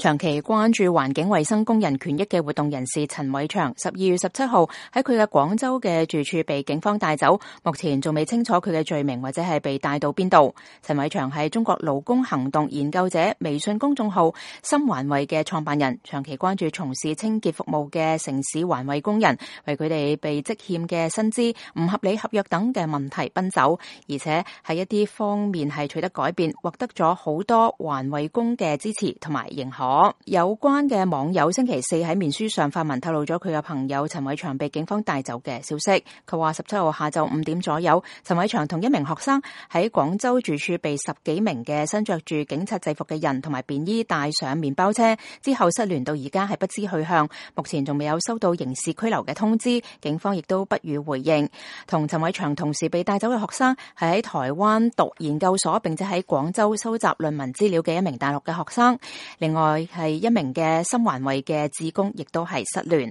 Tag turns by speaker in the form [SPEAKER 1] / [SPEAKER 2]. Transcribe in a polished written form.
[SPEAKER 1] 長期關注環境衛生工人權益嘅活動人士陳偉祥12月17號喺佢嘅廣州嘅住處被警方帶走，目前仲未清楚佢嘅罪名或者係被帶到邊度。陳偉祥係中國勞工行動研究者微信公眾號心環衛嘅創辦人，長期關注從事清潔服務嘅城市環衛工人，為佢哋被積欠嘅薪資、唔合理合約等嘅問題奔走，而且喺一啲方面係取得改變，獲得咗好多環衛工嘅支持同埋認可。有關嘅網友星期四喺面書上發文透露咗佢嘅朋友陳偉祥被警方帶走嘅消息。佢話17號下晝5點左右，陳偉祥同一名學生喺廣州住處被10幾名嘅身着住警察制服嘅人同埋便衣帶上麵包車，之後失聯到而家係不知去向，目前仲未有收到刑事拘留嘅通知，警方亦都不予回應。同陳偉祥同時被帶走嘅學生係喺台灣讀研究所並且喺廣州收集論文資料嘅一名大陸嘅學生，另外係一名嘅心環衛嘅志工，亦都係失聯。